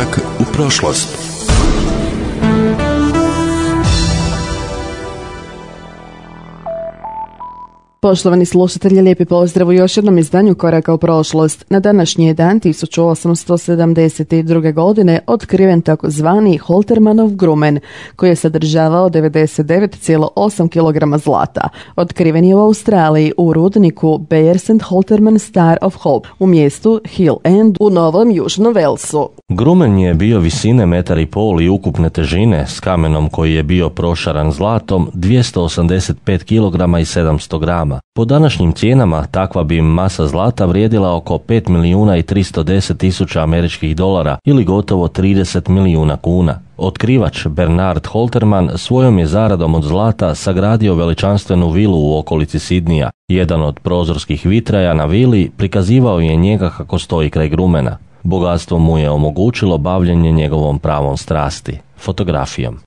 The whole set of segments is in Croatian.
Korak u prošlost. Poštovani slušatelji, lijepi pozdrav u još jednom izdanju Koraka u prošlost. Na današnji je dan 1872. godine otkriven takozvani Holtermanov grumen, koji je sadržavao 99,8 kg zlata. Otkriven je u Australiji u rudniku Bayers and Holterman Star of Hope u mjestu Hill End u Novom Južnom Velsu. Grumen je bio visine 1,5 m i ukupne težine s kamenom koji je bio prošaran zlatom 285 kg i 700 grama. Po današnjim cijenama takva bi masa zlata vrijedila oko 5.310.000 američkih dolara ili gotovo 30 milijuna kuna. Otkrivač Bernard Holterman svojom je zaradom od zlata sagradio veličanstvenu vilu u okolici Sidnija. Jedan od prozorskih vitraja na vili prikazivao je njega kako stoji kraj grumena. Bogatstvo mu je omogućilo bavljenje njegovom pravom strasti, fotografijom.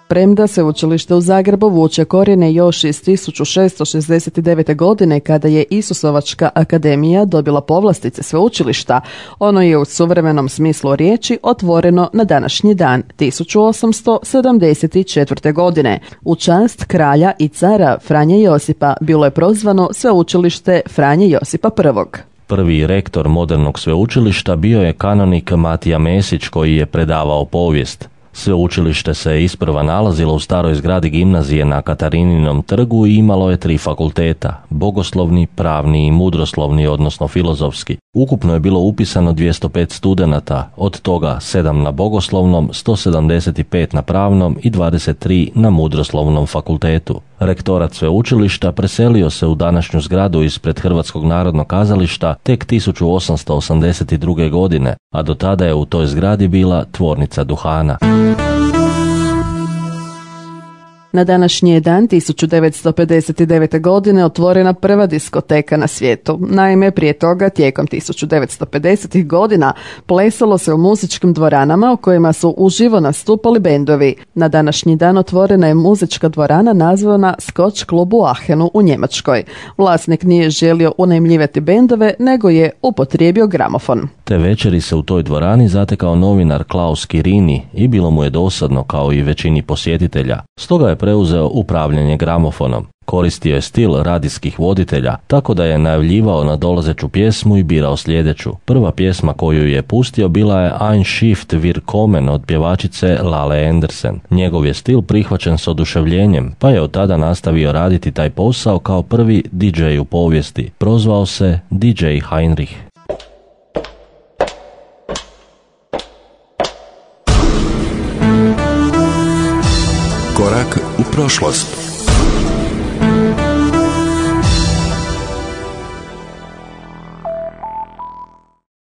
Premda sveučilište u Zagrebu vuče korijene još iz 1669. godine kada je Isusovačka akademija dobila povlastice sveučilišta, ono je u suvremenom smislu riječi otvoreno na današnji dan 1874. godine. U čast kralja i cara Franje Josipa bilo je prozvano sveučilište Franje Josipa I. Prvi rektor modernog sveučilišta bio je kanonik Matija Mesić koji je predavao povijest. Sveučilište se isprva nalazilo u staroj zgradi gimnazije na Katarininom trgu i imalo je 3 fakulteta, bogoslovni, pravni i mudroslovni, odnosno filozofski. Ukupno je bilo upisano 205 studenata, od toga 7 na bogoslovnom, 175 na pravnom i 23 na mudroslovnom fakultetu. Rektorat sveučilišta preselio se u današnju zgradu ispred Hrvatskog narodnog kazališta tek 1882. godine, a do tada je u toj zgradi bila tvornica duhana. Na današnji je dan 1959. godine otvorena prva diskoteka na svijetu. Naime, prije toga, tijekom 1950. godina, plesalo se u muzičkim dvoranama u kojima su uživo nastupali bendovi. Na današnji dan otvorena je muzička dvorana nazvana Scotch Club u Aachenu u Njemačkoj. Vlasnik nije želio unajmljivati bendove, nego je upotrijebio gramofon. Te večeri se u toj dvorani zatekao novinar Klaus Kirini i bilo mu je dosadno kao i većini posjetitelja. Stoga je preuzeo upravljanje gramofonom. Koristio je stil radijskih voditelja, tako da je najavljivao nadolazeću pjesmu i birao sljedeću. Prva pjesma koju je pustio bila je Ein Shift wir kommen od pjevačice Lale Andersen. Njegov je stil prihvaćen s oduševljenjem, pa je od tada nastavio raditi taj posao kao prvi DJ u povijesti. Prozvao se DJ Heinrich. Korak u prošlost.